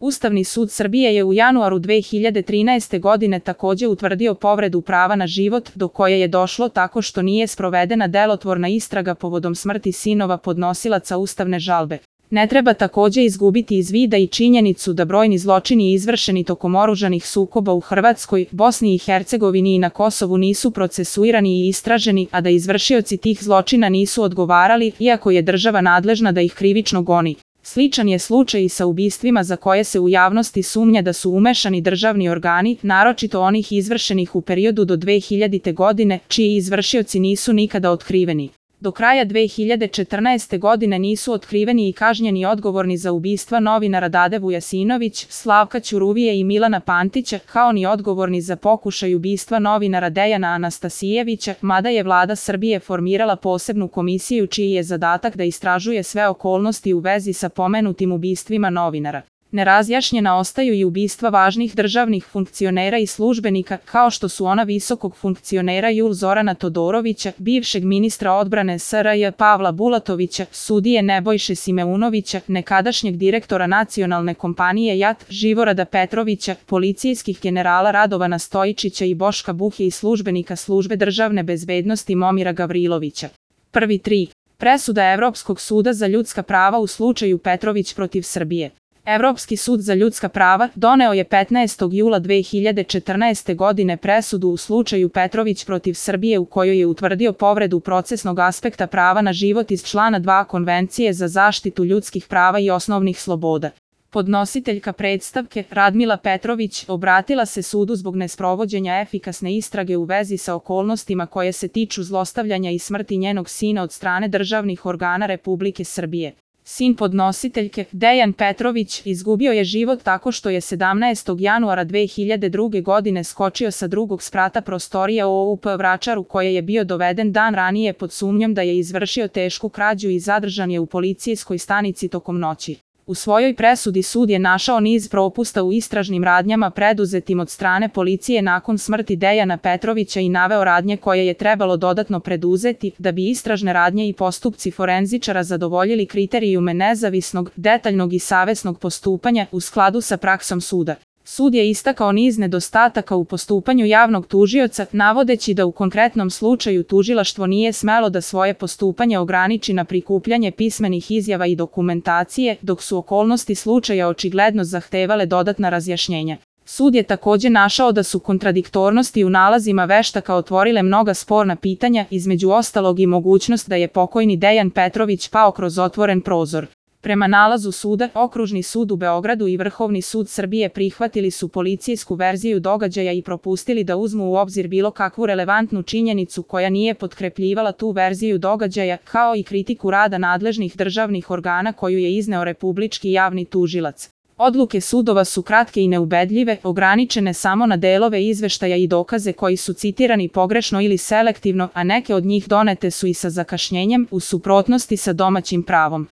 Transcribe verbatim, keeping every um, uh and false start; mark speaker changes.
Speaker 1: Ustavni sud Srbije je u januaru dve hiljade trinaeste. godine takođe utvrdio povredu prava na život, do koje je došlo tako što nije sprovedena delotvorna istraga povodom smrti sinova podnosilaca ustavne žalbe. Ne treba takođe izgubiti iz vida i činjenicu da brojni zločini izvršeni tokom oružanih sukoba u Hrvatskoj, Bosni i Hercegovini i na Kosovu nisu procesuirani i istraženi, a da izvršioci tih zločina nisu odgovarali, iako je država nadležna da ih krivično goni. Sličan je slučaj i sa ubistvima za koje se u javnosti sumnja da su umešani državni organi, naročito onih izvršenih u periodu do dve hiljadite. godine, čiji izvršioci nisu nikada otkriveni. Do kraja dve hiljade četrnaeste. godine nisu otkriveni i kažnjeni odgovorni za ubistva novinara Dade Vujasinović, Slavka Ćuruvije i Milana Pantića, kao ni odgovorni za pokušaj ubistva novinara Dejana Anastasijevića, mada je vlada Srbije formirala posebnu komisiju čiji je zadatak da istražuje sve okolnosti u vezi sa pomenutim ubistvima novinara. Nerazjašnjena ostaju i ubistva važnih državnih funkcionera i službenika, kao što su ona visokog funkcionera Jul Zorana Todorovića, bivšeg ministra odbrane S R J Pavla Bulatovića, sudije Nebojše Simeunovića, nekadašnjeg direktora nacionalne kompanije J A T Živorada Petrovića, policijskih generala Radovana Stojičića i Boška Buhe i službenika službe državne bezbednosti Momira Gavrilovića. Prvi tri. Presuda Evropskog suda za ljudska prava u slučaju Petrović protiv Srbije. Evropski sud za ljudska prava doneo je petnaestog jula dve hiljade četrnaeste. godine presudu u slučaju Petrović protiv Srbije u kojoj je utvrdio povredu procesnog aspekta prava na život iz člana dva Konvencije za zaštitu ljudskih prava i osnovnih sloboda. Podnositeljka predstavke, Radmila Petrović, obratila se sudu zbog nesprovođenja efikasne istrage u vezi sa okolnostima koje se tiču zlostavljanja i smrti njenog sina od strane državnih organa Republike Srbije. Sin podnositeljke, Dejan Petrović, izgubio je život tako što je sedamnaestog januara dve hiljade druge. godine skočio sa drugog sprata prostorije O U P Vračaru koje je bio doveden dan ranije pod sumnjom da je izvršio tešku krađu i zadržan je u policijskoj stanici tokom noći. U svojoj presudi sud je našao niz propusta u istražnim radnjama preduzetim od strane policije nakon smrti Dejana Petrovića i naveo radnje koje je trebalo dodatno preduzeti da bi istražne radnje i postupci forenzičara zadovoljili kriterijume nezavisnog, detaljnog i savesnog postupanja u skladu sa praksom suda. Sud je istakao niz nedostataka u postupanju javnog tužioca, navodeći da u konkretnom slučaju tužilaštvo nije smelo da svoje postupanje ograniči na prikupljanje pismenih izjava i dokumentacije, dok su okolnosti slučaja očigledno zahtevale dodatna razjašnjenja. Sud je takođe našao da su kontradiktornosti u nalazima veštaka otvorile mnoga sporna pitanja, između ostalog i mogućnost da je pokojni Dejan Petrović pao kroz otvoren prozor. Prema nalazu suda, Okružni sud u Beogradu i Vrhovni sud Srbije prihvatili su policijsku verziju događaja i propustili da uzmu u obzir bilo kakvu relevantnu činjenicu koja nije potkrepljivala tu verziju događaja, kao i kritiku rada nadležnih državnih organa koju je izneo Republički javni tužilac. Odluke sudova su kratke i neubedljive, ograničene samo na delove izveštaja i dokaze koji su citirani pogrešno ili selektivno, a neke od njih donete su i sa zakašnjenjem, u suprotnosti sa domaćim pravom.